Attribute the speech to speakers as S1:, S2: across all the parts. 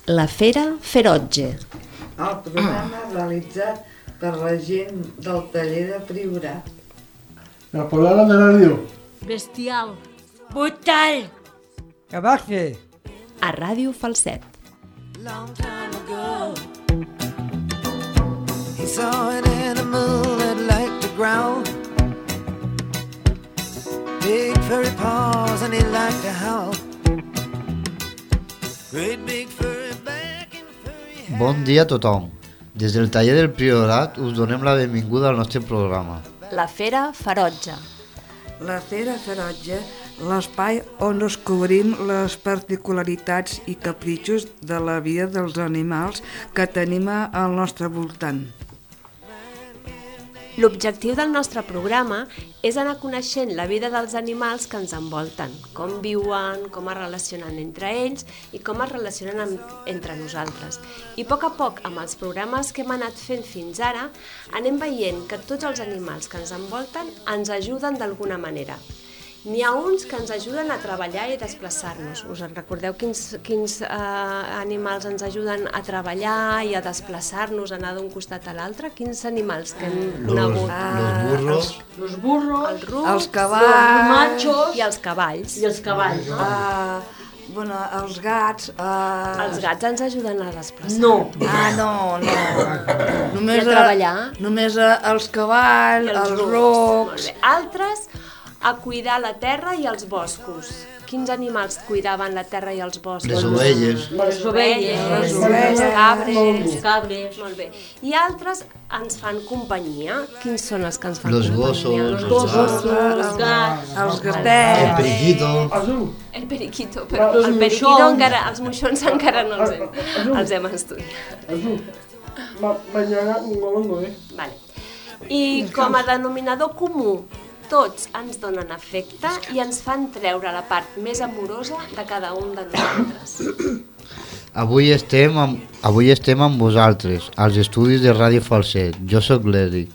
S1: La Fera Ferotge.
S2: El programa realitzat per la gent del taller de Priorat.
S3: La palabra de radio.
S4: Bestial. Brutal.
S5: Cabaxe.
S1: A Ràdio Falset.
S6: Long time ago, he saw an animal that liked to growl. Big furry paws and he liked to howl. Great big furry back and furry hair.
S7: Bon dia a tothom. Des del taller del Priorat us donem la benvinguda al nostre programa.
S1: La Fera Ferotge.
S2: La Fera Ferotge, l'espai on descobrim les particularitats i capritxos de la vida dels animals que tenim al nostre voltant.
S8: L'objectiu del nostre programa és anar coneixent la vida dels animals que ens envolten, com viuen, com es relacionen entre ells i com es relacionen entre nosaltres. I a poc, amb els programes que hem anat fent fins ara, anem veient que tots els animals que ens envolten ens ajuden d'alguna manera. N'hi ha uns que ens ajuden a treballar i desplaçar-nos. Us en recordeu quins animals ens ajuden a treballar i a desplaçar-nos, a anar d'un costat a l'altre? Quins animals que hem conegut?
S4: Los burros,
S8: Els rucs,
S2: Els cavalls,
S4: los machos
S8: i els cavalls.
S4: i els cavalls. No?
S2: Els gats...
S8: Els gats ens ajuden a desplaçar.
S4: No.
S2: No.
S8: I a treballar.
S2: Només els cavalls, els
S8: Molt
S2: rucs...
S8: bé. Altres, a cuidar la terra i els boscos. Quins animals cuidaven la terra i els boscos?
S7: Les ovelles.
S4: Les ovelles,
S8: les cabres.
S4: els cabres.
S8: Molt bé. I altres ens fan companyia. Quins són els que ens fan
S7: Los
S8: companyia?
S7: gossos,
S4: Els gossos, els gats,
S2: Els
S7: El
S2: gatets...
S7: periquito.
S8: El periquito, però
S4: Els
S8: el periquito
S4: moixons.
S8: encara, els moixons encara no els hem estudiat.
S3: Mañana no vengo,
S8: Vale. I com a denominador comú, tots ens donen afecte i ens fan treure la part més amorosa de cada un de nosaltres.
S7: Avui estem amb vosaltres, als estudis de Ràdio Falset. Jo sóc l'Eric.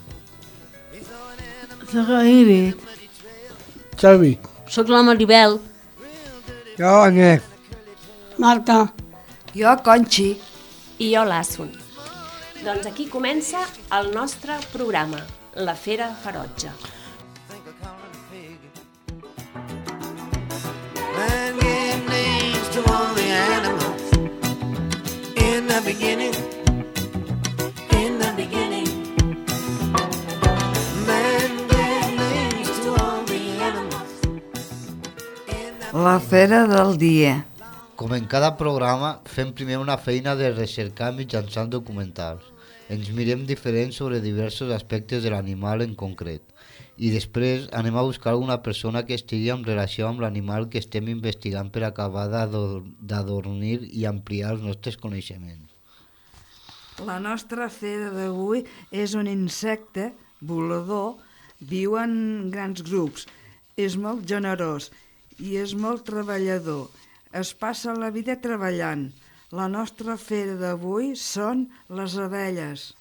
S5: Soc l'Iris.
S3: Xavi.
S4: Soc la Maribel.
S5: Jo, Agnès.
S4: Marta.
S2: Jo, Conxi.
S8: I jo l'Assun. Doncs aquí comença el nostre programa, La Fera Ferotge.
S6: Man gave names to all the animals. In the beginning. Man gave names to all the animals.
S2: La fera del dia.
S7: Com en cada programa, fem primer una feina de recercar mitjançant documentals. Ens mirem diferents sobre diversos aspectes de l'animal en concret. I després anem a buscar alguna persona que estigui en relació amb l'animal que estem investigant per acabar d'adornir i ampliar els nostres coneixements.
S2: La nostra fera d'avui és un insecte volador, viu en grans grups, és molt generós i és molt treballador. Es passa la vida treballant. La nostra fera d'avui són les abelles.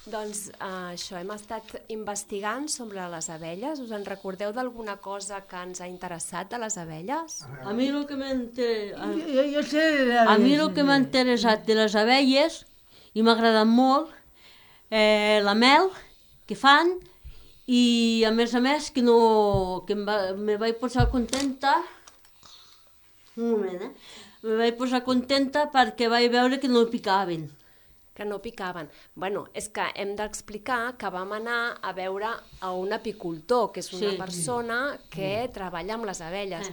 S8: Doncs això, hem estat investigant sobre les abelles. Us en recordeu d'alguna cosa que ens ha interessat de les abelles?
S4: A mi el que m'ha
S5: Jo sé...
S4: A mi el que m'ha interessat de les abelles i m'ha agradat molt la mel que fan i a més que me vaig posar contenta un moment, me vaig posar contenta perquè vaig veure que no picaven.
S8: Que no picaven. Bueno, és que hem d'explicar que vam anar a veure a un apicultor, que és una persona que treballa amb les abelles.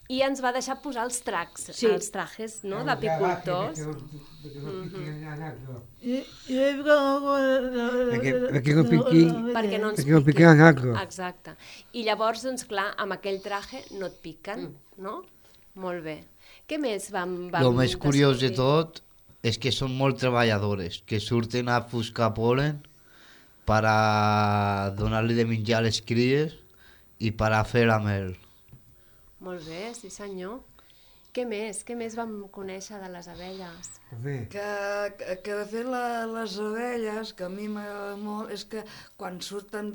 S8: I ens va deixar posar els trajes, no?, d'apicultors.
S5: Perquè no piquin.
S8: Perquè no ens
S5: Perquè no piquen en algo.
S8: Exacte. I llavors, doncs clar, amb aquell traje no et piquen, no? Molt bé. Què més vam
S7: El més curiós de
S8: descobrir?
S7: tot és que són molt treballadores, que surten a buscar polen per a donar-li de menjar a les cries i per a fer la mel.
S8: Molt bé, sí senyor. Què més vam conèixer de les abelles?
S2: Que de fet les abelles, que a mi m'agrada molt, és que quan surten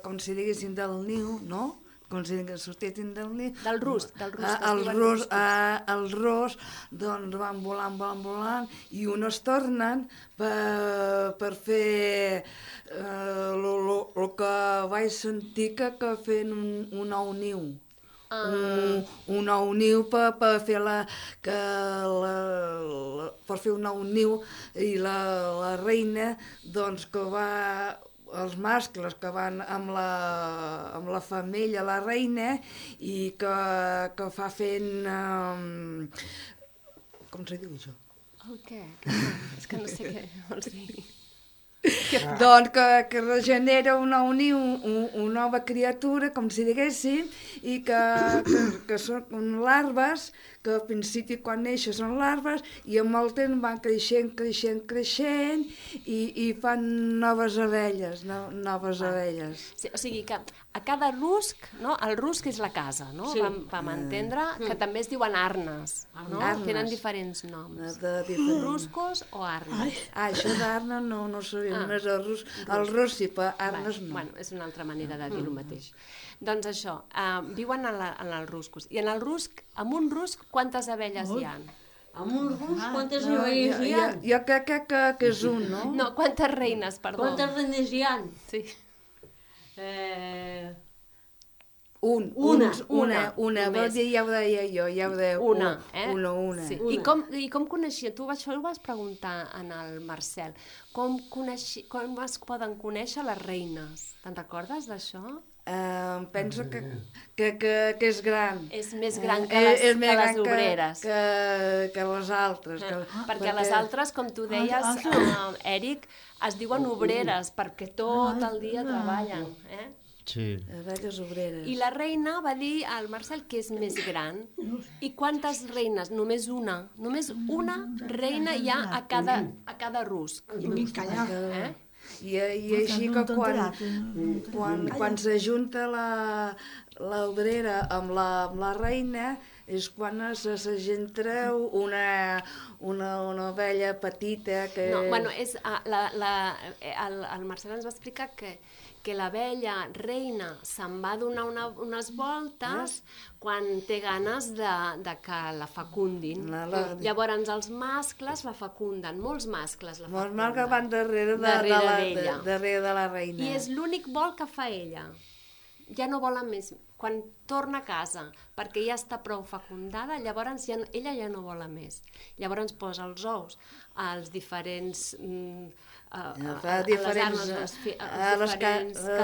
S2: com si diguéssim del niu, no?, com si sortissin del niu.
S8: Del rusc, que es
S2: Els
S8: diuen
S2: ros,
S8: ruscos.
S2: els ros, doncs van volant, i uns es tornen per fer el que vaig sentir que feien un nou niu. Un nou niu per fer per fer un nou niu, i la reina doncs que va, els mascles que van amb la femella, la reina, i que fa fent com se diu això?
S8: El què? És que no sé què vols dir.
S2: Doncs que regenera un nou niu, una nova criatura, com si diguéssim, i que són larves, que al principi quan neixen són larves, i amb el temps van creixent, i fan noves abelles,
S8: Sí, o sigui que a cada rusc, no? El rusc és la casa, no?
S4: Sí.
S8: Vam entendre que també es diuen arnes, no?
S2: Arnes.
S8: Tenen diferents noms.
S2: diferents.
S8: Ruscos o arnes.
S2: Això d'arna no sabia, només el rus sí, però arnes no.
S8: Bueno, és una altra manera de dir el mateix. Doncs això, viuen en els ruscos. I en el rusc, amb un rusc, quantes abelles hi ha?
S4: Amb un rusc, quantes abelles hi ha?
S2: Jo crec que és un, no?
S8: No, quantes reines, perdó.
S4: Quantes reines hi ha?
S8: Sí.
S2: Una.
S8: Només.
S2: Vol dir, ja ho deia jo,
S8: Una, eh?
S2: Una.
S8: Sí. I com coneixia? Tu això ho vas preguntar en el Marcel. Com es poden conèixer les reines? Te'n recordes d'això?
S2: Penso que és gran.
S8: És més gran que les obreres.
S2: Que les altres.
S8: Perquè les altres, com tu deies, Èric, es diuen obreres perquè tot el dia treballen.
S7: Sí.
S2: Abelles obreres.
S8: I la reina va dir al Marcel que és més gran. I quantes reines? Només una. Només una reina hi ha a cada rusc.
S2: I així que quan s'ajunta l'obrera amb la reina és quan s'agentra una abella petita que...
S8: No, bueno, el Marcel ens va explicar que l'abella reina se'n va donar unes voltes quan té ganes de que la fecundin. Llavors els mascles la fecunden, molts mascles la fecunden.
S2: Molts mascles van darrere de la reina.
S8: I és l'únic vol que fa ella. Ja no volen més. Quan torna a casa, perquè ja està prou fecundada, llavors ella ja no vola més. Llavors posa els ous als diferents...
S2: a les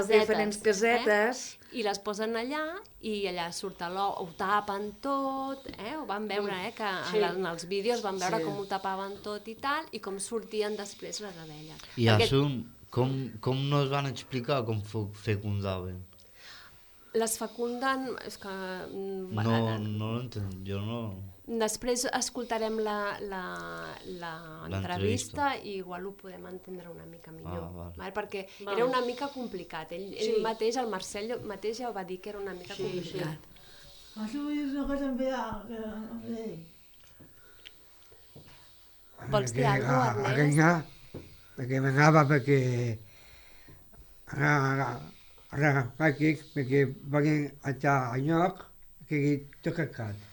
S2: diferents casetes.
S8: I les posen allà, i allà surt l'ou, ho tapen tot, ho van veure, que en els vídeos van veure com ho tapaven tot i tal, i com sortien després les abelles.
S7: I Asum, com no es van explicar com fecundaven?
S8: Les fecunden... És que...
S7: No l'entenc, jo no...
S8: Després escoltarem l'entrevista i igual ho podem entendre una mica millor. Perquè era una mica complicat. Ell mateix, el Marcel mateix ja ho va dir que era una mica complicat. Vols dir alguna cosa, Ernest?
S5: Perquè m'anava perquè... Ara perquè volen estar al lloc que tot cacat.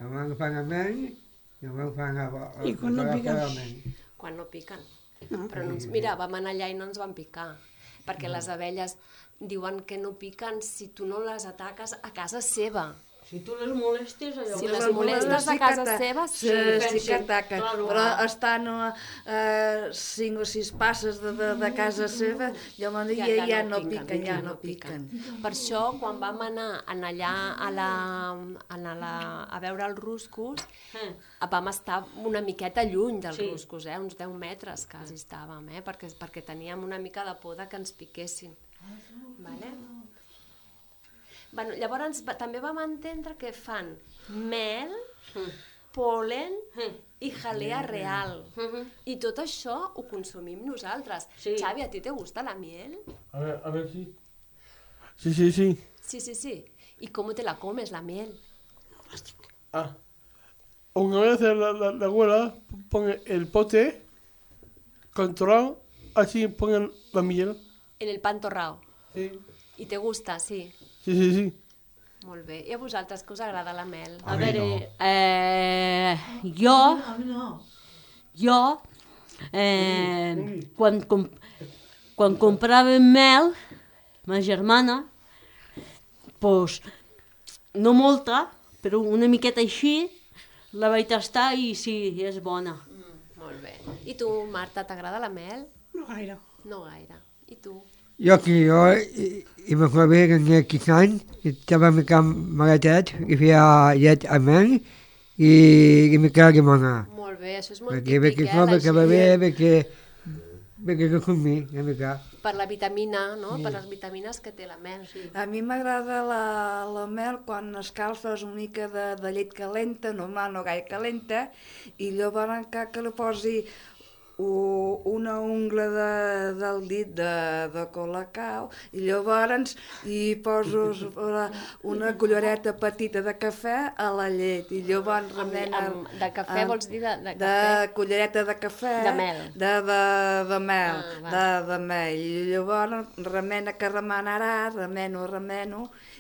S5: Llavors fan a menys, llavors fan a...
S9: I quan no piquen?
S8: Quan no piquen. Però mira, vam anar allà i no ens van picar, perquè les abelles diuen que no piquen si tu no les ataques a casa seva.
S4: Si tu les molestes...
S8: Si les molestes a casa seva,
S2: sí que ataquen. Però estan 5 o 6 passes de casa seva, llavors ja no piquen.
S8: Per això, quan vam anar allà a veure els ruscos, vam estar una miqueta lluny dels ruscos, uns 10 metres quasi estàvem, perquè teníem una mica de por que ens piquessin. Bueno, llavors també vam entendre que fan mel, polen i jalea real. I tot això ho consumim nosaltres. Xavi, ¿a ti te gusta la miel?
S3: A ver, sí. Sí.
S8: Sí. ¿Y cómo te la comes, la miel?
S3: Una vez la abuela pone el pote controlado, así ponen la miel.
S8: En el pan torrado.
S3: Sí.
S8: ¿Y te gusta, sí?
S3: Sí.
S8: Molt bé. I a vosaltres, que us agrada la mel?
S4: A veure, jo, quan compràvem mel, ma germana, doncs, no molta, però una miqueta així, la vaig tastar i sí, és bona.
S8: Molt bé. I tu, Marta, t'agrada la mel?
S9: No gaire.
S8: No gaire. I tu?
S5: Jo i me acuerdo que tenia 15 anys, i estava a mi camp malatet, i feia llet amb mel, i me quedava limonada.
S8: Molt bé, això és molt
S5: Perquè
S8: típic,
S5: no,
S8: la
S5: perquè va bé, perquè no comí, una mica.
S8: Per la vitamina, no? Per les vitamines que té la mel. Sí.
S2: A mi m'agrada la mel quan escalfes una mica de llet calenta, normal, no gaire calenta, i llavors que li posi una ungla del dit de colacao i llavors hi poso una cullereta petita de cafè a la llet i llavors remena...
S8: De cafè vols dir de cafè?
S2: De cullereta de cafè.
S8: De mel.
S2: De mel. De mel. I llavors remena que remenarà, remeno,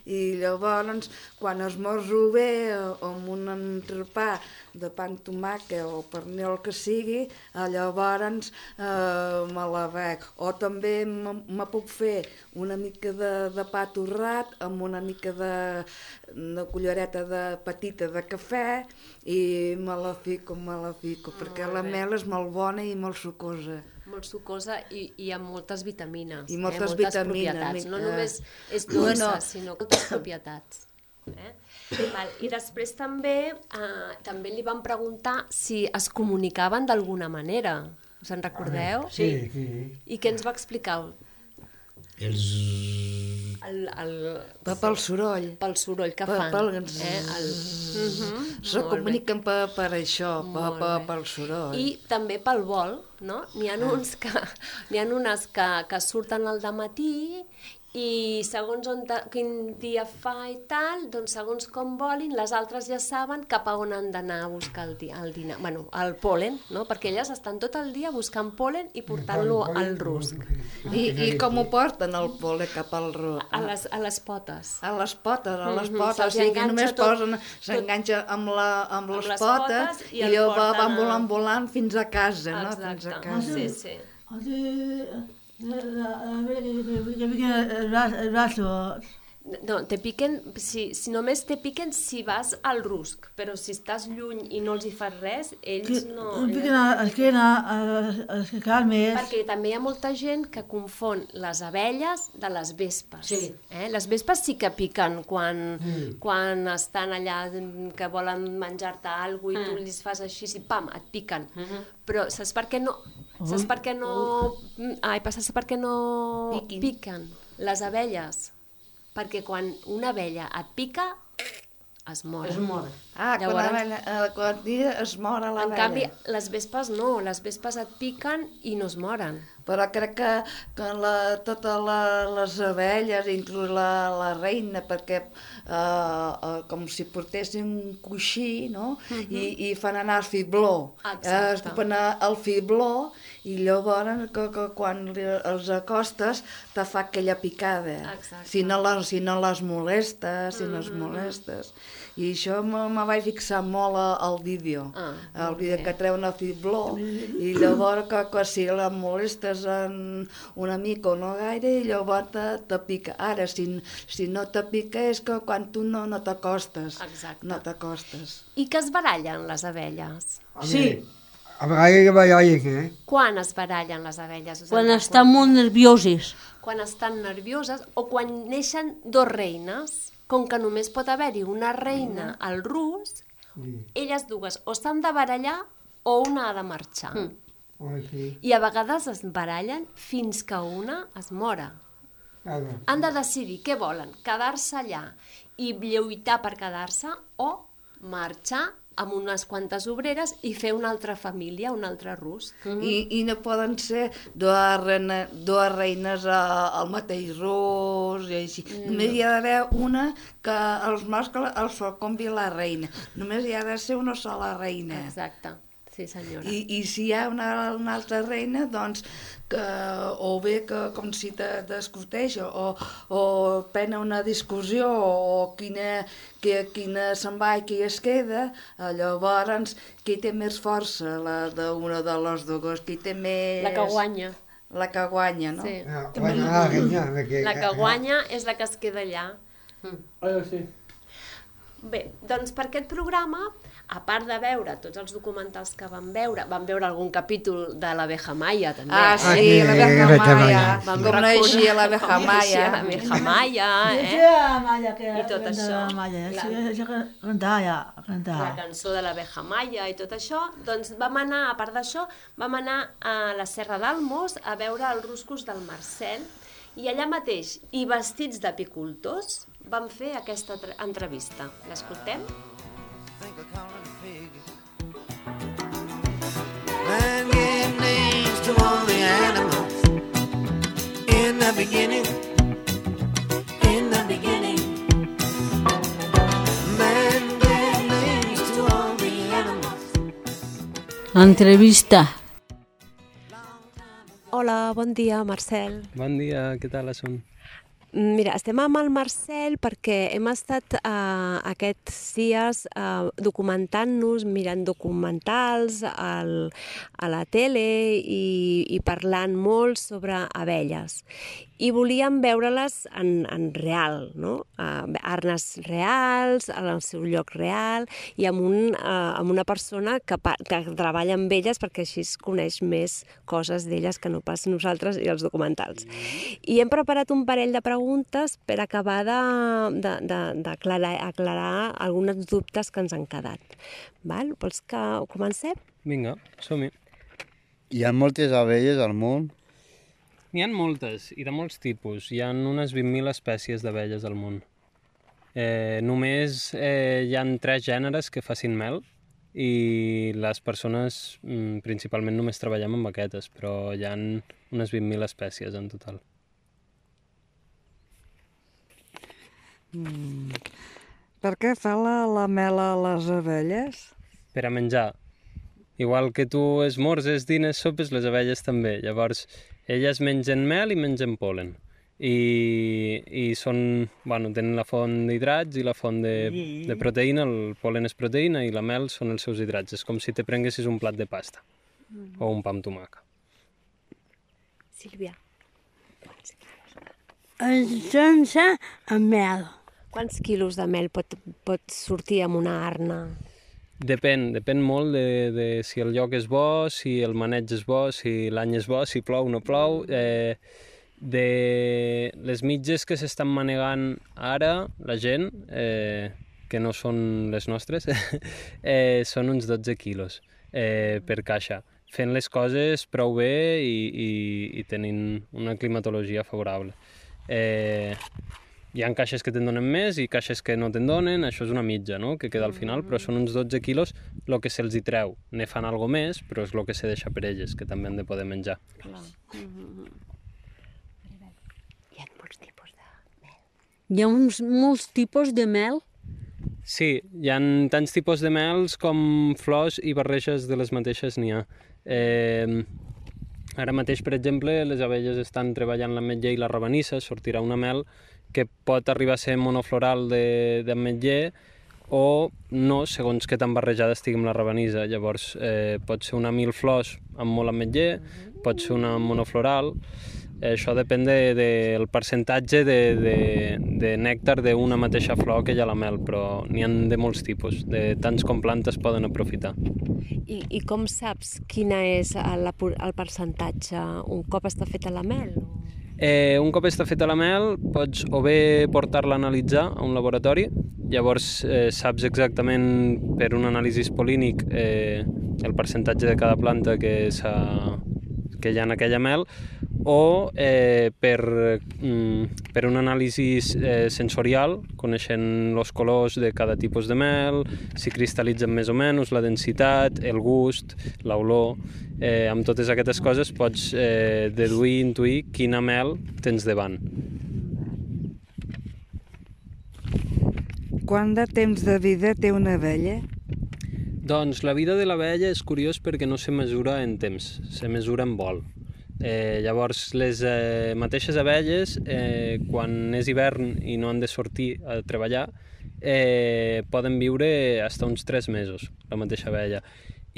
S2: i llavors quan esmorzo bé amb un entrepà de pa amb tomàquet o pernil que sigui, llavors me la bec. O també me puc fer una mica de pa torrat amb una mica de cullereta petita de cafè i me la fico, perquè la mel és molt bona i molt sucosa.
S8: Molt sucosa i amb moltes vitamines.
S2: I moltes vitamines.
S8: Propietats. No només és dolça, sinó moltes propietats. I després també li van preguntar si es comunicaven d'alguna manera. Us en recordeu?
S5: Sí.
S8: I què ens va explicar?
S2: Pel soroll.
S8: Pel soroll que fan.
S2: Se comuniquen per això, pel soroll.
S8: I també pel vol, no? N'hi ha unes que surten al dematí i segons quin dia fa i tal, doncs segons com volin, les altres ja saben cap a on han d'anar a buscar el dinar, bueno, el pol·len, no? Perquè elles estan tot el dia buscant pol·len i portant-lo al rusc.
S2: I com ho porten el pol·len cap al rusc?
S8: A les potes.
S2: A les potes, o sigui, només s'enganxa amb les potes i llavors van volant fins a casa, no?
S8: Exacte, sí. No, te piquen, si només te piquen si vas al rusc, però si estàs lluny i no els hi fas res, ells no...
S9: Em piquen a l'esquena, a les cames...
S8: Perquè també hi ha molta gent que confon les abelles de les vespes. Sí. Les vespes sí que piquen quan estan allà que volen menjar-te alguna cosa i tu els fas així i pam, et piquen. Però saps per què no... Saps per què no piquen les abelles? Perquè quan una abella et pica, es mor.
S2: Quan es mor l'abella.
S8: En canvi, les vespes no, les vespes et piquen i no es moren.
S2: Però crec que totes les abelles, inclús la reina, perquè com si portessin un coixí, no? I fan anar el fibló. Escupen el fibló i llavors quan els acostes te fa aquella picada. Si no les molestes, I això me vaig fixar molt al vídeo. El vídeo que treuen el fibló i llavors que si la molestes una mica o no gaire i llavors te pica. Ara, si no te pica és que quan tu no t'acostes. No t'acostes.
S8: I que es barallen les abelles?
S4: Sí.
S5: A vegades barallen,
S8: Quan es barallen les abelles?
S4: Quan estan molt nervioses.
S8: Quan estan nervioses o quan neixen dos reines, com que només pot haver-hi una reina al rusc, elles dues o s'han de barallar o una ha de marxar. I a vegades es barallen fins que una es mora. Han de decidir què volen, quedar-se allà i lluitar per quedar-se o marxar amb unes quantes obreres i fer una altra família, un altre rusc.
S2: I no poden ser dues reines al mateix rusc i així. Només hi ha d'haver una que els mascles els fa convi la reina. Només hi ha de ser una sola reina.
S8: Exacte. Sí, senyora.
S2: I si hi ha una altra reina, doncs, o bé que com si discuteix, o prenen una discussió, o quina se'n va i qui es queda, llavors qui té més força, la d'una de les dues, qui té més...
S8: La que guanya.
S2: La que guanya, no?
S8: Sí.
S5: La
S8: que guanya és la que es queda allà.
S3: Sí.
S8: Bé, doncs per aquest programa, a part de veure tots els documentals que vam veure algun capítol de l'Abeja Maya, també.
S2: Ah, sí, l'Abeja Maya.
S8: Vam
S2: Com naixia l'Abeja Maya.
S8: l'Abeja Maya,
S9: I
S8: tot això.
S9: Cantava.
S8: La cançó de l'Abeja Maya i tot això. Doncs vam anar, a part d'això, vam anar a la Serra d'Almos a veure els ruscos del Marcel, i allà mateix, i vestits d'apicultors, vam fer aquesta entrevista. L'escoltem?
S6: Man gave names to all the animals. In the beginning. Man gave names to all the animals.
S4: Entrevista.
S8: Hola, bon dia, Marcel.
S10: Bon dia, què tal són?
S8: Mira, estem amb el Marcel perquè hem estat aquests dies documentant-nos, mirant documentals a la tele i parlant molt sobre abelles. I volíem veure-les en real, no? Arnes reals, al seu lloc real, i amb una persona que treballa amb elles perquè així es coneix més coses d'elles que no pas nosaltres i els documentals. I hem preparat un parell de preguntes per acabar d'aclarar alguns dubtes que ens han quedat. Vols que comencem?
S10: Vinga, som-hi.
S7: Hi ha moltes abelles al món?
S10: N'hi ha moltes, i de molts tipus. Hi ha unes 20.000 espècies d'abelles al món. Només hi ha 3 gèneres que facin mel, i les persones principalment només treballem amb aquestes, però hi ha unes 20.000 espècies en total.
S2: Per què fa la mel a les abelles?
S10: Per a menjar. Igual que tu esmorzes, dines, sopes, les abelles també. Llavors, elles mengen mel i mengen pol·len. I són, tenen la font d'hidrats i la font de proteïna. El pol·len és proteïna i la mel són els seus hidrats. És com si te prenguessis un plat de pasta o un pa amb tomaca.
S8: Sílvia.
S11: Sense mel.
S8: Quants quilos de mel pot sortir amb una arna?
S10: Depèn molt de si el lloc és bo, si el maneig és bo, si l'any és bo, si plou o no plou. De les mitges que s'estan manegant ara, la gent, que no són les nostres, són uns 12 quilos per caixa, fent les coses prou bé i tenint una climatologia favorable. Hi ha caixes que te'n donen més i caixes que no te'n donen, això és una mitja, no?, que queda al final, però són uns 12 quilos el que se'ls hi treu. Ne fan alguna més, però és el que se deixa per elles, que també han de poder menjar.
S8: Clar. Hi ha molts tipus de mel.
S4: Hi ha molts tipus de mel?
S10: Sí, hi ha tants tipus de mels com flors i barreges de les mateixes n'hi ha. Ara mateix, per exemple, les abelles estan treballant l'ametller i la rabanissa, sortirà una mel que pot arribar a ser monofloral d'ametller o no, segons què tan barrejada estigui amb la rabanissa. Llavors, pot ser una 1000 flors amb molt ametller, pot ser una monofloral. Això depèn del percentatge de nèctar d'una mateixa flor que hi ha a la mel, però n'hi ha de molts tipus, de tants com plantes poden aprofitar.
S8: I com saps quina és el percentatge un cop està feta la mel?
S10: Un cop està feta la mel, pots o bé portar-la a analitzar a un laboratori, llavors saps exactament per un anàlisi pol·línic el percentatge de cada planta que hi ha en aquella mel, o per un anàlisi sensorial, coneixent els colors de cada tipus de mel, si cristal·litzen més o menys, la densitat, el gust, l'olor. Amb totes aquestes coses pots deduir, intuir quina mel tens davant.
S2: Quant de temps de vida té una abella?
S10: Doncs la vida de l'abella és curiós perquè no se mesura en temps, se mesura en vol. Llavors, les mateixes abelles, quan és hivern i no han de sortir a treballar, poden viure fins uns 3 mesos, la mateixa abella.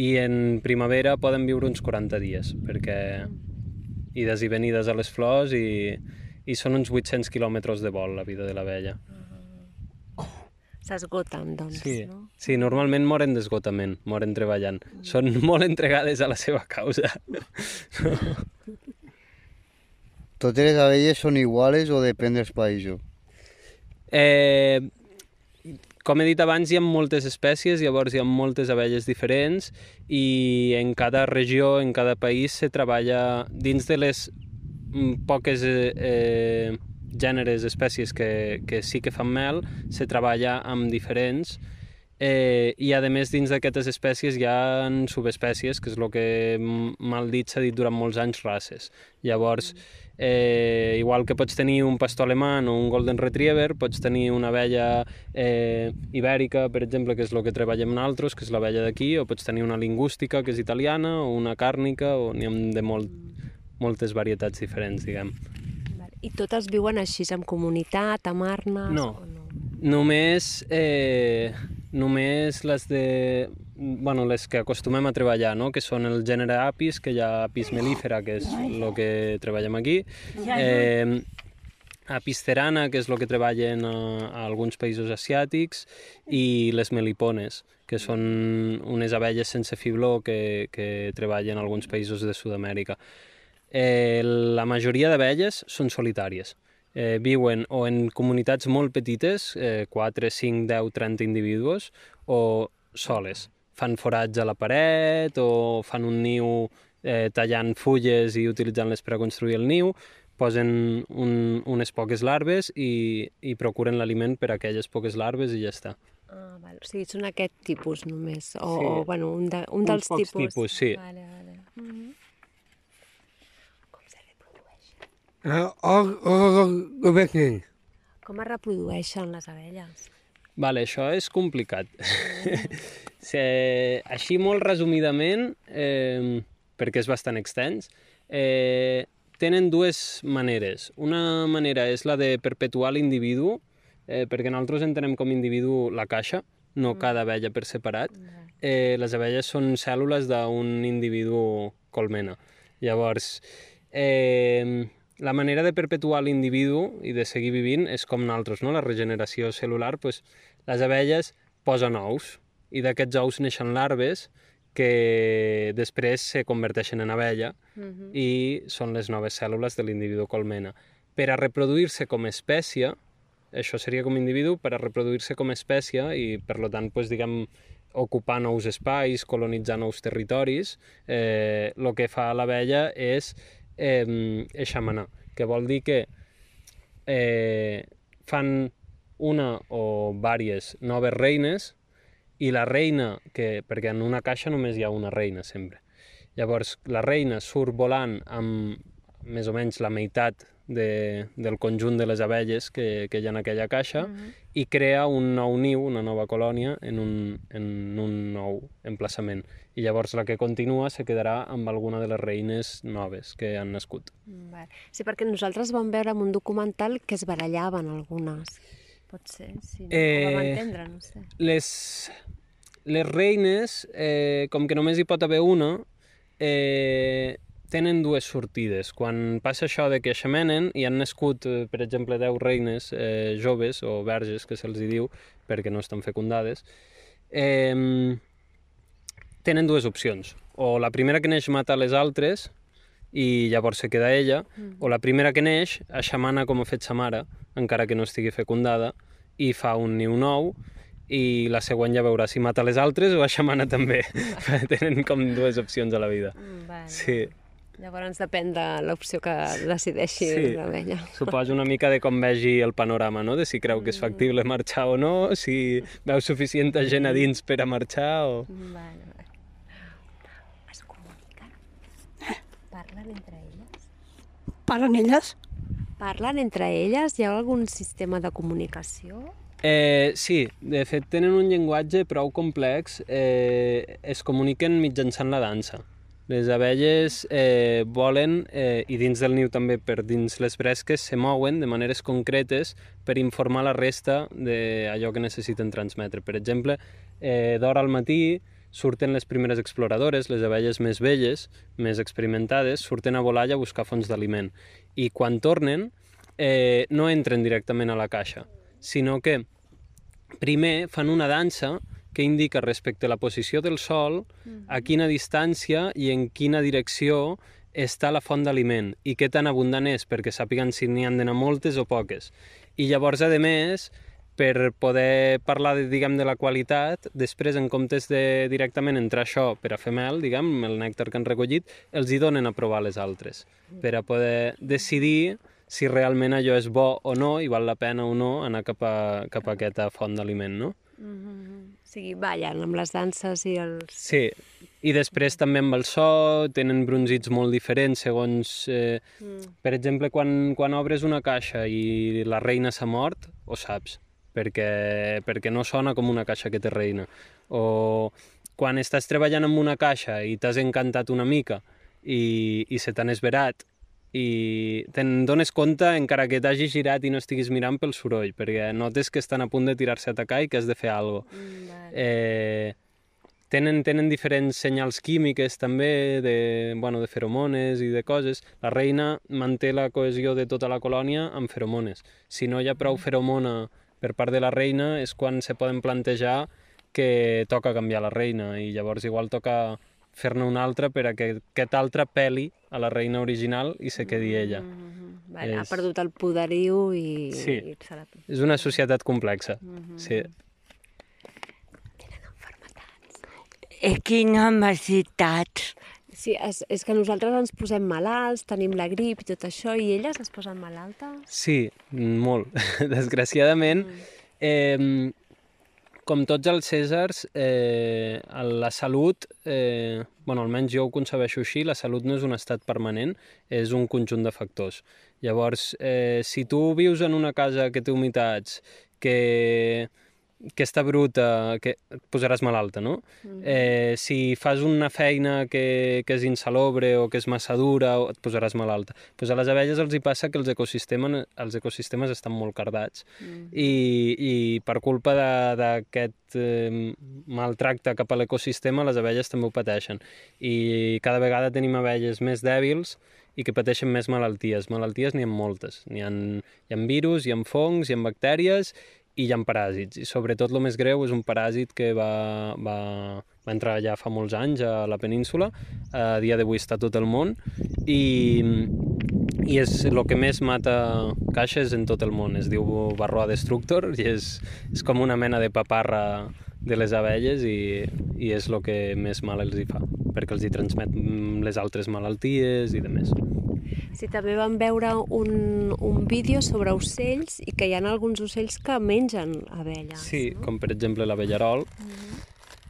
S10: I en primavera poden viure uns 40 dies, perquè ides i venides a les flors i són uns 800 quilòmetres de vol, la vida de l'abella.
S8: S'esgoten, doncs, no?
S10: Sí, normalment moren d'esgotament, moren treballant. Són molt entregades a la seva causa.
S12: Totes les abelles són iguals o depèn dels països?
S10: Com he dit abans, hi ha moltes espècies, llavors hi ha moltes abelles diferents i en cada regió, en cada país, se treballa dins de les poques gèneres, espècies que sí que fan mel, se treballa amb diferents i a més dins d'aquestes espècies hi ha subespècies, que és el que mal dit s'ha dit durant molts anys, races. Llavors, igual que pots tenir un pastor alemany o un golden retriever, pots tenir una abella ibèrica, per exemple, que és el que treballem nosaltres, que és l'abella d'aquí, o pots tenir una lingústica, que és italiana, o una càrnica, o n'hi ha de moltes varietats diferents, diguem.
S8: I totes viuen així, en comunitat, amb arnes?
S10: No. Només les que acostumem a treballar, no? Que són el gènere Apis, que hi ha Apis mellifera, que és el que treballem aquí, Apis cerana, que és el que treballen a alguns països asiàtics, i les melipones, que són unes abelles sense fibló que treballen a alguns països de Sud-amèrica. La majoria d'abelles són solitàries. Viuen o en comunitats molt petites, 4, 5, 10, 30 individus, o soles. Fan forats a la paret o fan un niu tallant fulles i utilitzant-les per a construir el niu, posen unes poques larves i procuren l'aliment per a aquelles poques larves i ja està.
S8: Ah, val. O sigui, són aquest tipus només, o bueno, un dels tipus.
S10: Uns pocs tipus, sí.
S8: Vale. Com es reprodueixen les abelles?
S10: Vale, això és complicat. Així molt resumidament, perquè és bastant extens, tenen dues maneres. Una manera és la de perpetuar l'individu, perquè nosaltres entenem com individu la caixa, no cada abella per separat. Les abelles són cèl·lules d'un individu colmena. Llavors, la manera de perpetuar l'individu i de seguir vivint és com nosaltres, no? La regeneració cel·lular, les abelles posen ous i d'aquests ous neixen larves que després se converteixen en abella i són les noves cèl·lules de l'individu colmena. Per a reproduir-se com a espècie, això seria com a individu, per a reproduir-se com a espècie i per tant, diguem, ocupar nous espais, colonitzar nous territoris, el que fa l'abella és eixamanar, que vol dir que fan una o diverses noves reines i la reina, perquè en una caixa només hi ha una reina sempre. Llavors la reina surt volant amb més o menys la meitat del conjunt de les abelles que hi ha en aquella caixa i crea un nou niu, una nova colònia en un nou emplaçament. I llavors la que continua se quedarà amb alguna de les reines noves que han nascut.
S8: Sí, perquè nosaltres vam veure en un documental que es barallaven algunes. Pot ser, si no ho vam entendre, no sé.
S10: Les reines, com que només hi pot haver una, tenen dues sortides. Quan passa això de que eixamenen i han nascut, per exemple, 10 reines joves o verges, que se'ls diu, perquè no estan fecundades, tenen dues opcions. O la primera que neix mata les altres i llavors se queda ella, o la primera que neix eixamana com ha fet sa mare, encara que no estigui fecundada, i fa un niu nou, i la següent ja veurà si mata les altres o eixamana també. Tenen com dues opcions a la vida. Sí.
S8: Llavors depèn de l'opció que decideixi l'abella.
S10: Suposo una mica de com vegi el panorama, no? De si creu que és factible marxar o no, si veu suficient gent a dins per a marxar o...
S8: Es comuniquen? Parlen entre elles?
S11: Parlen elles?
S8: Parlen entre elles? Hi ha algun sistema de comunicació?
S10: Sí, de fet tenen un llenguatge prou complex, es comuniquen mitjançant la dansa. Les abelles volen, i dins del niu també per dins les bresques, se mouen de maneres concretes per informar la resta d'allò que necessiten transmetre. Per exemple, d'hora al matí surten les primeres exploradores, les abelles més velles, més experimentades, surten a volar i a buscar fonts d'aliment. I quan tornen, no entren directament a la caixa, sinó que primer fan una dansa que indica respecte a la posició del sol, a quina distància i en quina direcció està la font d'aliment i què tan abundant és, perquè sàpiguen si n'hi han d'anar moltes o poques. I llavors, a més, per poder parlar, diguem, de la qualitat, després, en comptes de directament entrar això per a fer mel, diguem, el nèctar que han recollit, els hi donen a provar les altres, per a poder decidir si realment allò és bo o no i val la pena o no anar cap a aquesta font d'aliment, no?
S8: O sigui, ballen amb les danses i els...
S10: Sí, i després també amb el so, tenen brunzits molt diferents segons... Per exemple, quan obres una caixa i la reina s'ha mort, ho saps, perquè no sona com una caixa que té reina. O quan estàs treballant amb una caixa i t'has encantat una mica i se t'han esverat i te'n dones compte encara que t'hagis girat i no estiguis mirant pel soroll, perquè notes que estan a punt de tirar-se a atacar i que has de fer alguna cosa. Tenen diferents senyals químiques també, de feromones i de coses. La reina manté la cohesió de tota la colònia amb feromones. Si no hi ha prou feromona per part de la reina és quan se poden plantejar que toca canviar la reina i llavors igual toca fer-ne una altra per a que aquest altre peli a la reina original i se quedi ella.
S8: Vale, ha perdut el poderiu i...
S10: Sí, és una societat complexa. Sí.
S8: Tenen enfermetats.
S11: Quines necessitats.
S8: Sí, és que nosaltres ens posem malalts, tenim la grip i tot això, i elles es posen malaltes?
S10: Sí, molt. Desgraciadament, com tots els cèsars, la salut, almenys jo ho concebeixo així, la salut no és un estat permanent, és un conjunt de factors. Llavors, si tu vius en una casa que té humitats, que està bruta, que et posaràs malalta, no? Si fas una feina que és insalubre o que és massa dura, et posaràs malalta. Pues a les abelles els hi passa que els ecosistemes estan molt cardats i per culpa d'aquest maltracte cap a l'ecosistema les abelles també ho pateixen. I cada vegada tenim abelles més dèbils i que pateixen més malalties. Malalties n'hi ha moltes. Hi ha virus, hi ha fongs, hi ha bactèries i hi ha paràsits. I sobretot el més greu és un paràsit que va entrar ja fa molts anys a la península, a dia d'avui està a tot el món, i és el que més mata caixes en tot el món. Es diu Varroa destructor i és com una mena de paparra de les abelles i és el que més mal els hi fa, perquè els hi transmet les altres malalties i demés.
S8: Sí, també vam veure un vídeo sobre ocells i que hi ha alguns ocells que mengen abelles.
S10: Sí, com per exemple l'abellarol.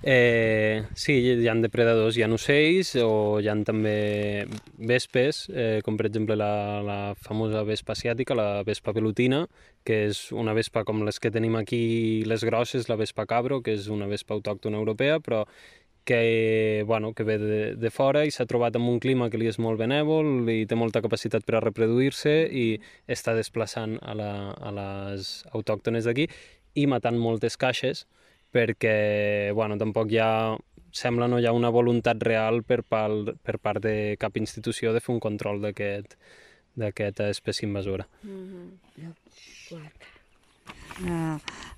S10: Sí, hi ha depredadors, hi ha ocells o hi ha també vespes, com per exemple la famosa vespa asiàtica, la vespa velutina, que és una vespa com les que tenim aquí, les grosses, la vespa cabro, que és una vespa autòctona europea, però que ve de fora i s'ha trobat en un clima que li és molt benèvol i té molta capacitat per a reproduir-se i està desplaçant a les autòctones d'aquí i matant moltes caixes perquè tampoc sembla no hi ha una voluntat real per part de cap institució de fer un control d'aquesta espècie invasora.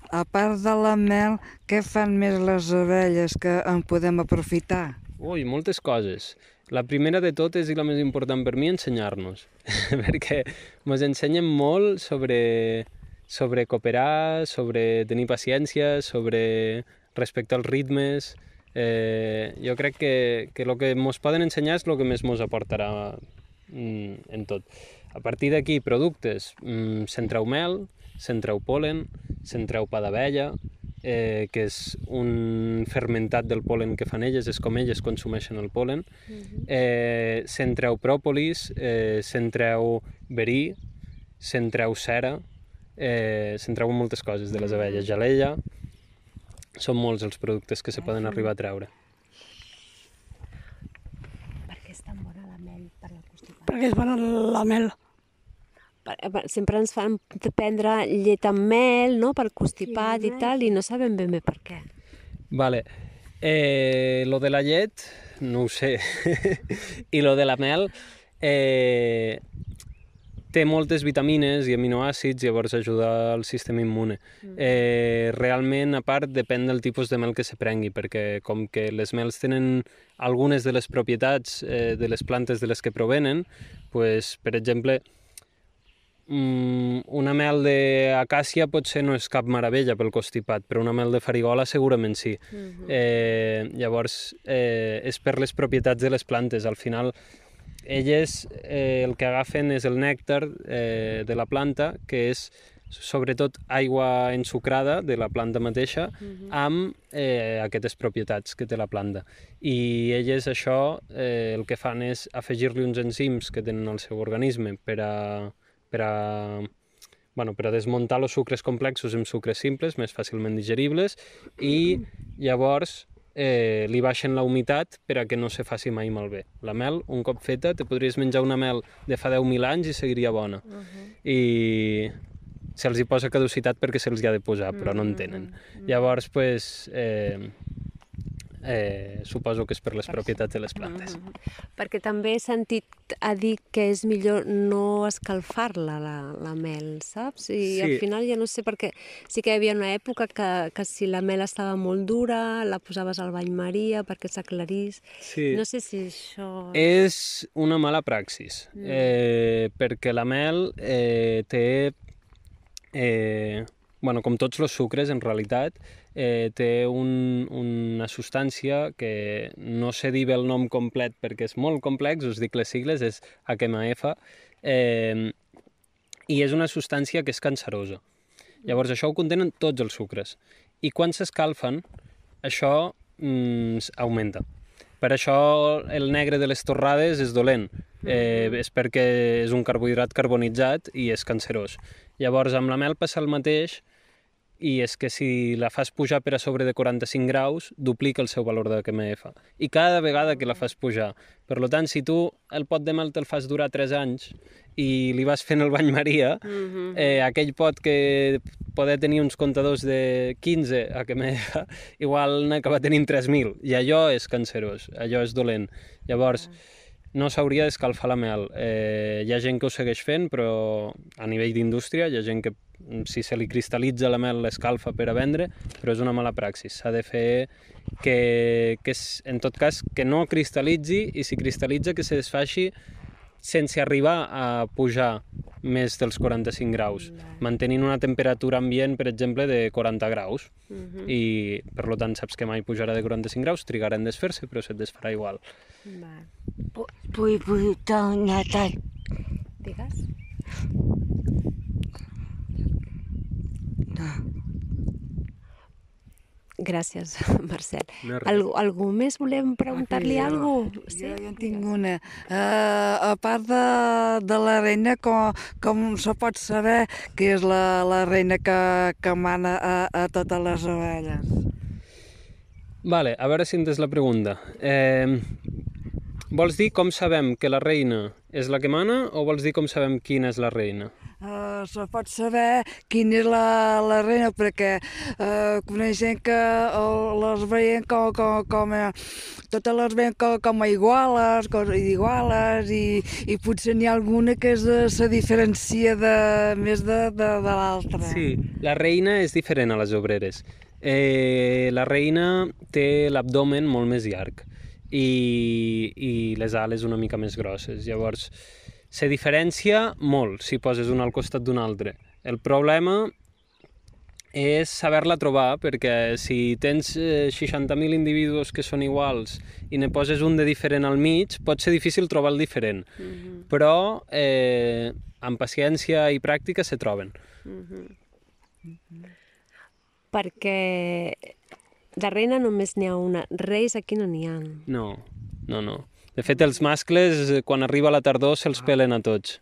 S2: A part de la mel, què fan més les abelles que en podem aprofitar?
S10: Ui, moltes coses. La primera de totes i la més important per mi, ensenyar-nos, perquè ens ensenyen molt sobre cooperar, sobre tenir paciència, sobre respectar els ritmes. Jo crec que el que ens poden ensenyar és el que més ens aportarà en tot. A partir d'aquí, productes, centreu mel, centreu polen, centreu pa d'abella, que és un fermentat del polen que fan elles, és com elles consumeixen el polen, centreu pròpolis, centreu verí, centreu cera, se'n treuen moltes coses de les abelles. Gelella, són molts els productes que se poden arribar a treure.
S8: Per què és tan bona la mel per la constipació?
S9: Perquè és bona la mel.
S8: Sempre ens fan prendre llet amb mel, no?, per constipat i tal, i no sabem ben bé per què.
S10: Vale. Lo de la llet, no ho sé. I lo de la mel, té moltes vitamines i aminoàcids, llavors ajuda al sistema immune. Realment, a part, depèn del tipus de mel que se prengui, perquè com que les mels tenen algunes de les propietats de les plantes de les que provenen, pues, per exemple, una mel d'acàcia potser no és cap meravella pel constipat, però una mel de farigola segurament sí. Llavors, és per les propietats de les plantes. Al final, elles el que agafen és el nèctar de la planta, que és sobretot aigua ensucrada de la planta mateixa amb aquestes propietats que té la planta. I elles això el que fan és afegir-li uns enzims que tenen al seu organisme per a desmuntar els sucres complexos en sucres simples, més fàcilment digeribles, i llavors li baixen la humitat per a que no se faci mai malbé. La mel, un cop feta, te podries menjar una mel de fa 10.000 anys i seguiria bona. I se'ls hi posa caducitat perquè se'ls hi ha de posar, però no en tenen. Llavors, suposo que és per les propietats de les plantes.
S8: Perquè també he sentit a dir que és millor no escalfar-la, la mel, saps? I al final ja no sé, perquè sí que hi havia una època que si la mel estava molt dura, la posaves al bany Maria perquè s'aclarís. No sé si això...
S10: És una mala praxis, perquè la mel té... com tots els sucres, en realitat, té una substància que no sé dir bé el nom complet perquè és molt complex, us dic les sigles, és HMF, i és una substància que és cancerosa. Llavors això ho contenen tots els sucres. I quan s'escalfen, això augmenta. Per això el negre de les torrades és dolent, és perquè és un carbohidrat carbonitzat i és cancerós. Llavors amb la mel passa el mateix, i és que si la fas pujar per a sobre de 45 graus, duplica el seu valor de HMF. I cada vegada que la fas pujar. Per tant, si tu el pot de mel te'l fas durar 3 anys i li vas fent el bany Maria, aquell pot que poder tenir uns comptadors de 15 HMF, igual n'acaba tenint 3.000. I allò és cancerós, allò és dolent. Llavors, no s'hauria d'escalfar la mel. Hi ha gent que ho segueix fent, però a nivell d'indústria hi ha gent que si se li cristal·litza la mel l'escalfa per a vendre, però és una mala praxis. S'ha de fer que en tot cas, que no cristal·litzi, i si cristal·litza que se desfaci sense arribar a pujar més dels 45 graus, mantenint una temperatura ambient, per exemple, de 40 graus. I, per tant, saps que mai pujarà de 45 graus, trigarà en desfer-se, però se't desfarà igual.
S11: Vull tornar a...
S8: Digues? Gràcies, Marcel. Algú més volem preguntar-li alguna cosa?
S2: Jo en tinc una. A part de la reina, com se pot saber que és la reina que mana a totes les ovelles?
S10: Vale, a veure si entens la pregunta. Vols dir com sabem que la reina és la que mana o vols dir com sabem quina és la reina?
S2: Se pot saber quina és la reina, perquè coneixem que les veiem totes les veiem com a iguales, i potser n'hi ha alguna que se diferencia més de l'altra.
S10: Sí, la reina és diferent a les obreres. La reina té l'abdomen molt més llarg i les ales una mica més grosses. Llavors, se diferencia molt si poses una al costat d'una altra. El problema és saber-la trobar, perquè si tens 60.000 individus que són iguals i ne poses un de diferent al mig, pot ser difícil trobar el diferent. Però amb paciència i pràctica se troben.
S8: Perquè de reina només n'hi ha una. Reis aquí no n'hi ha.
S10: No. De fet, els mascles, quan arriba la tardor, se'ls pelen a tots.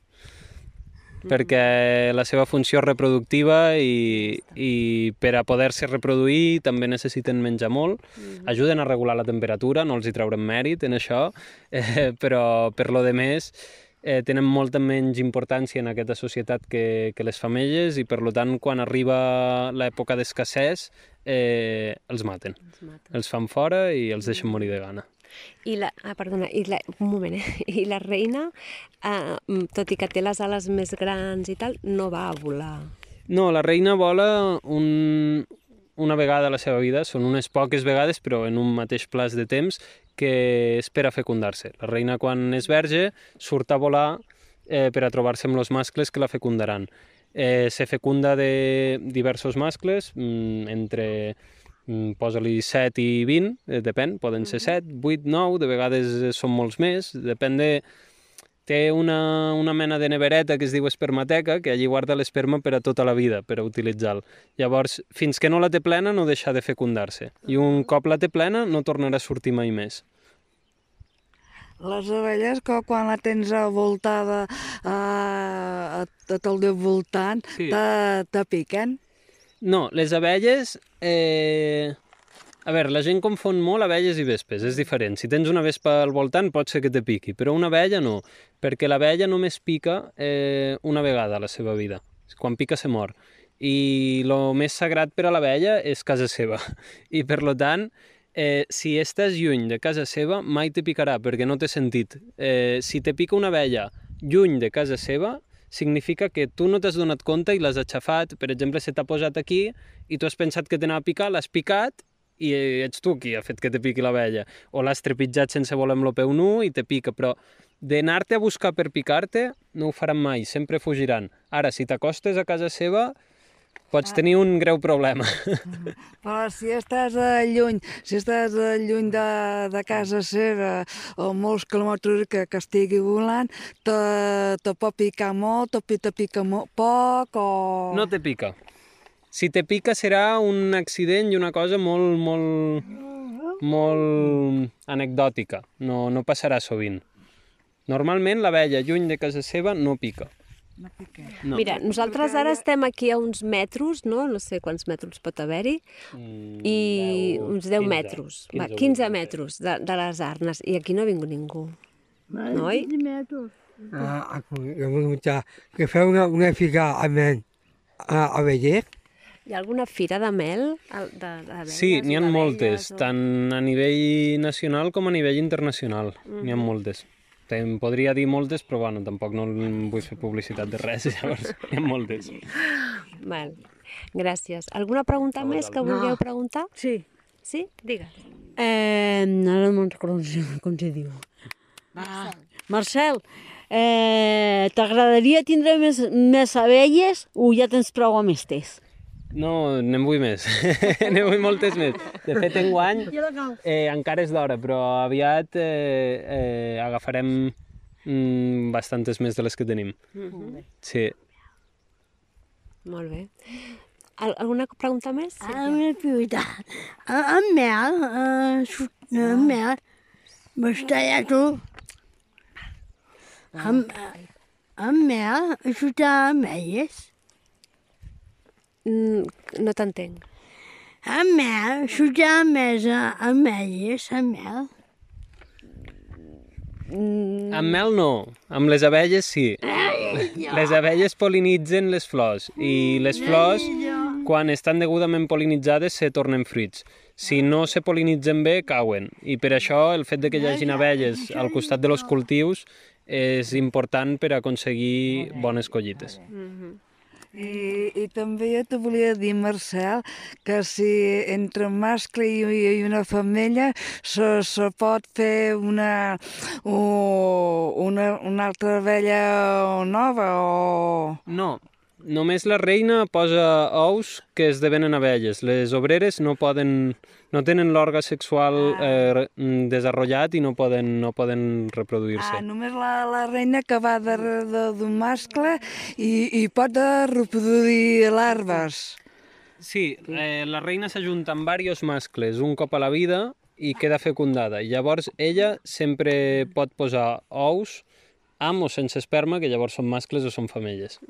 S10: perquè la seva funció és reproductiva i per a poder-se reproduir també necessiten menjar molt. Ajuden a regular la temperatura, no els hi traurem mèrit en això, però per lo de més tenen molta menys importància en aquesta societat que les femelles i per tant quan arriba l'època d'escassez els maten. Els fan fora i els deixen morir de gana.
S8: Un moment, i la reina, tot i que té les ales més grans i tal, no va a volar.
S10: No, la reina vola una vegada a la seva vida, són unes poques vegades, però en un mateix plaç de temps que espera fecundar-se. La reina, quan és verge, surt a volar per a trobar-se amb els mascles que la fecundaran. Se fecunda de diversos mascles, entre posa-li 7 i 20, depèn, poden ser 7, 8, 9, de vegades són molts més, depèn de... Té una mena de nevereta que es diu espermateca, que allí guarda l'esperma per a tota la vida, per a utilitzar-lo. Llavors, fins que no la té plena, no deixa de fecundar-se. I un cop la té plena, no tornarà a sortir mai més.
S2: Les abelles, quan la tens voltada a tot el teu voltant, te piquen?
S10: No, les abelles... A veure, la gent confon molt abelles i vespes, és diferent. Si tens una vespa al voltant pot ser que te piqui, però una abella no, perquè l'abella només pica una vegada a la seva vida. Quan pica se mor. I el més sagrat per a l'abella és casa seva. I per tant, si estàs lluny de casa seva, mai te picarà, perquè no té sentit. Si te pica una abella lluny de casa seva, significa que tu no t'has donat compte i l'has aixafat. Per exemple, se t'ha posat aquí i tu has pensat que t'anava a picar, l'has picat, i ets tu qui ha fet que te piqui l'abella. O l'has trepitjat sense voler amb el peu nu i te pica, però d'anar-te a buscar per picar-te no ho faran mai, sempre fugiran. Ara, si t'acostes a casa seva, pots tenir un greu problema.
S2: Però si estàs lluny de casa seva o molts quilòmetres que estigui volant, te pot picar molt, te pica molt poc o...
S10: No te pica. Si te pica serà un accident i una cosa molt anecdòtica, no passarà sovint. Normalment l'abella lluny de casa seva no pica.
S8: No. Mira, nosaltres ara estem aquí a uns metros, no sé quants metres pot haver-hi, i uns 10 metres, 15 metres de les arnes, i aquí no ha vingut ningú, no?
S5: Jo vull preguntar, que feu una figa a Beller?
S8: Hi ha alguna fira de mel?
S10: Sí, n'hi ha moltes, tant a nivell nacional com a nivell internacional. N'hi ha moltes. Te'n podria dir moltes, però bueno, tampoc no vull fer publicitat de res, llavors n'hi ha moltes.
S8: Val. Gràcies. Alguna pregunta més que vulgueu preguntar?
S9: Sí.
S8: Sí? Digues.
S9: No me'n recordo com se diu. Marcel, t'agradaria tindre més abelles o ja tens prou amb estes?
S10: No, n'en vull més. N'en vull moltes més. De fet, enguany encara és d'hora, però aviat agafarem bastantes més de les que tenim. Sí.
S8: Molt bé. Alguna pregunta més?
S11: Una pregunta. En mel, m'estaria tu. En mel, xutar amelles.
S8: No t'entenc.
S11: En mel, xutar amelles, en mel.
S10: Amb mel no, amb les abelles sí. Les abelles pol·linitzen les flors i les flors, quan estan degudament pol·linitzades, se tornen fruits. Si no se pol·linitzen bé, cauen. I per això el fet de que hi hagin abelles al costat dels cultius és important per aconseguir bones collites.
S2: I també jo te volia dir, Marcel, que si entre un mascle i una femella se pot fer una altra abella nova o...
S10: No, només la reina posa ous que esdevenen abelles. Les obreres no tenen l'òrgan sexual desenvolupat i no poden reproduir-se.
S2: Només la reina que va darrere d'un mascle i pot reproduir larves.
S10: Sí, la reina s'ajunta amb diversos mascles un cop a la vida i queda fecundada. I llavors ella sempre pot posar ous amb o sense esperma, que llavors són mascles o són femelles.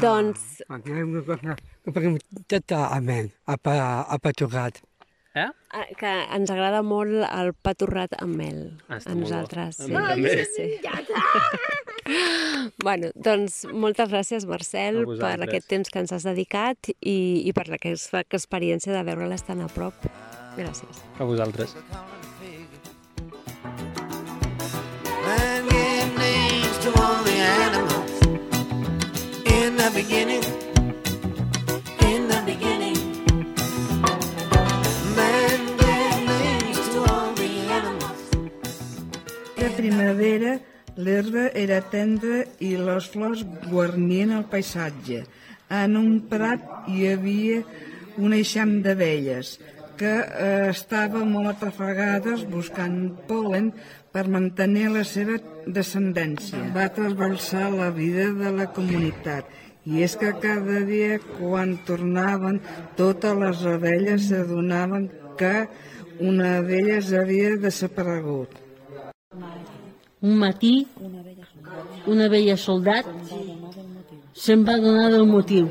S8: Doncs...
S5: Aquí hi ha una cosa que podem tot amén, apatorrat.
S8: Que ens agrada molt el pa torrat amb mel, a nosaltres.
S10: A mi també.
S8: Sí. Bueno, doncs moltes gràcies, Marcel, per aquest temps que ens has dedicat i per aquesta experiència de veure-les tan a prop. Gràcies.
S10: A vosaltres.
S6: Man gave names to all the animals in the beginning. In the beginning. Man gave names to all the animals.
S2: La primavera, l'herba era tendra i les flors guarnien el paisatge. En un prat hi havia un eixam d'abelles que estaven molt atrafegades buscant pol·len per mantenir la seva descendència. Va trasbalsar la vida de la comunitat i és que cada dia quan tornaven totes les abelles s'adonaven que una d'elles havia desaparegut.
S9: Un matí, una vella soldat se'n va donar del motiu.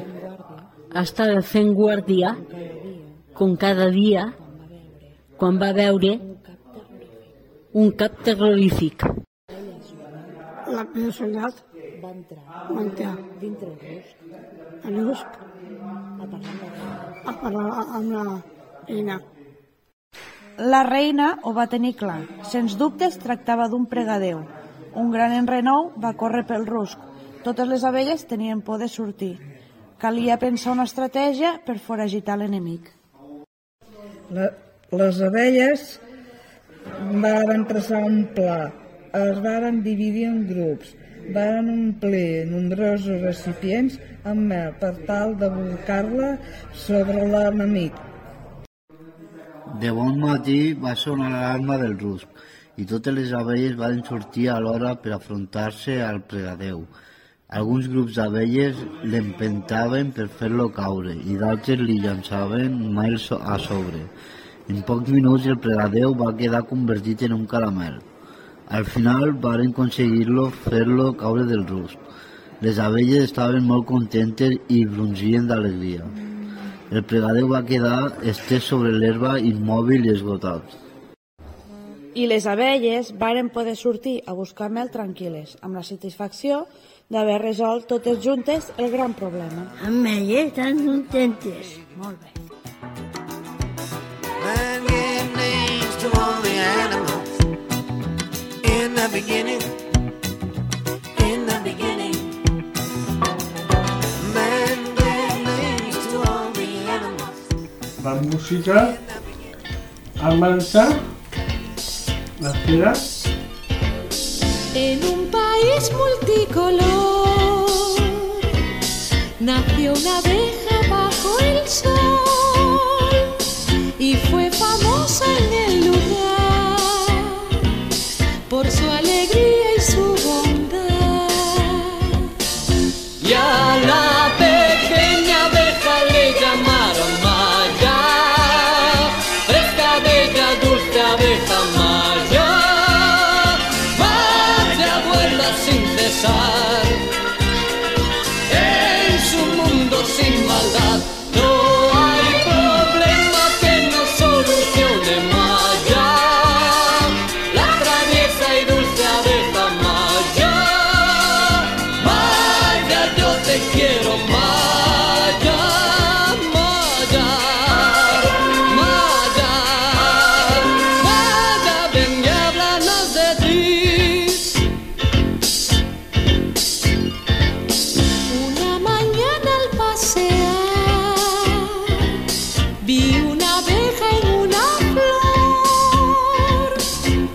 S9: Estava fent guàrdia, com cada dia, quan va veure un cap terrorífic.
S11: La vella soldat va entrar dintre el rusc a parlar amb la reina.
S13: La reina ho va tenir clar. Sens dubte es tractava d'un pregadeu. Un gran enrenou va córrer pel rusc. Totes les abelles tenien por de sortir. Calia pensar una estratègia per foragitar l'enemic.
S2: Les abelles van traçar un pla, es van dividir en grups, van omplir nombrosos recipients amb mel per tal de bolcar-la sobre l'enemic.
S7: De bon matí va sonar l'alarma del rusc i totes les abelles van sortir alhora per afrontar-se al pregadeu. Alguns grups d'abelles l'empentaven per fer-lo caure i d'altres li llançaven mel a sobre. En pocs minuts el pregadeu va quedar convertit en un caramel. Al final varen aconseguir-lo fer-lo caure del rusc. Les abelles estaven molt contentes i brunzien d'alegria. El pregadeu va quedar estès sobre l'herba immòbil i esgotat.
S13: I les abelles varen poder sortir a buscar mel tranquil·les, amb la satisfacció d'haver resolt totes juntes el gran problema.
S11: Abelles tan contentes.
S13: Molt bé.
S6: Man gave names to all the animals in the beginning. In the beginning. Man gave names to all the animals.
S3: La música, Amansa, la cera.
S14: En un país multicolor nació una abeja bajo el sol y fue famosa en el lugar por su alegría y su bondad.
S15: Y a la pequeña abeja le llamaron Maya, fresca, bella, dulce abeja Maya. Sin cesar, en su mundo sin maldad, no hay problema que no solucione Maya, la traviesa y dulce abeja Maya. Maya, yo te quiero Maya, Maya, Maya, Maya, ven y háblanos de ti.
S14: Vi una abeja en una flor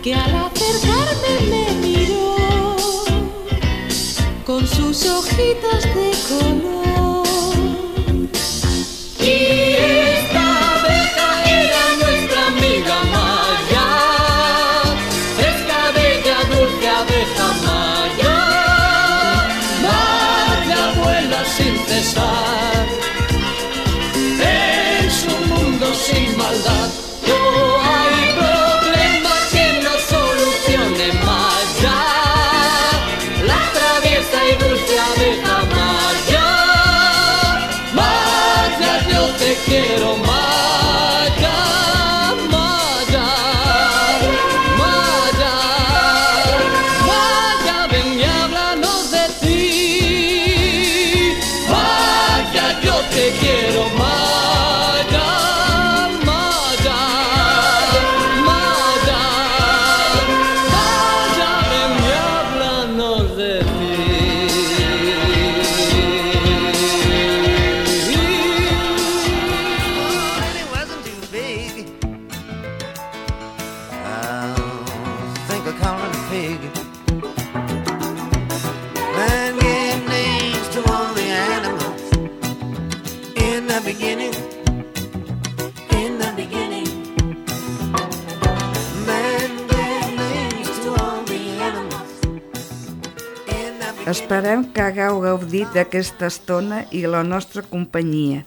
S14: que al acercarme me miró con sus ojitos de color.
S15: Y esta abeja era nuestra amiga Maya, fresca, bella, dulce abeja Maya. Maya vuela sin cesar, sin maldad, no hay problema que no solucione Maya.
S2: Esperem que hagueu gaudit d'aquesta estona i la nostra companyia.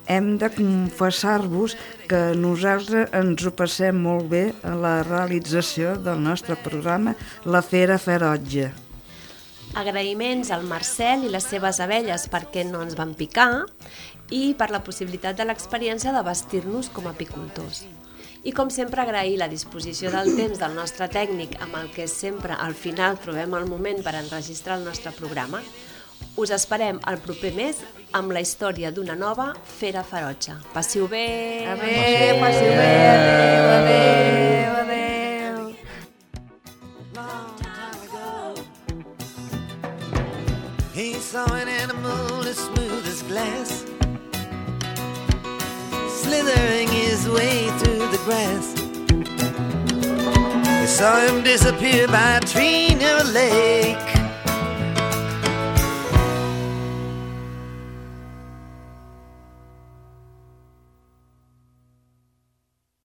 S2: Hem de confessar-vos que nosaltres ens ho passem molt bé a la realització del nostre programa La Fera Ferotge.
S8: Agraïments al Marcel i les seves abelles perquè no ens van picar i per la possibilitat de l'experiència de vestir-nos com a apicultors. I com sempre agrair la disposició del temps del nostre tècnic amb el que sempre al final trobem el moment per enregistrar el nostre programa. Us esperem el proper mes amb la història d'una nova Fera Ferotge. Passiu bé!
S2: Adéu, passiu bé! Adéu, adéu!
S6: He saw an animal as smooth as glass, slithering his way through the grass. He saw him disappear by a tree near a lake.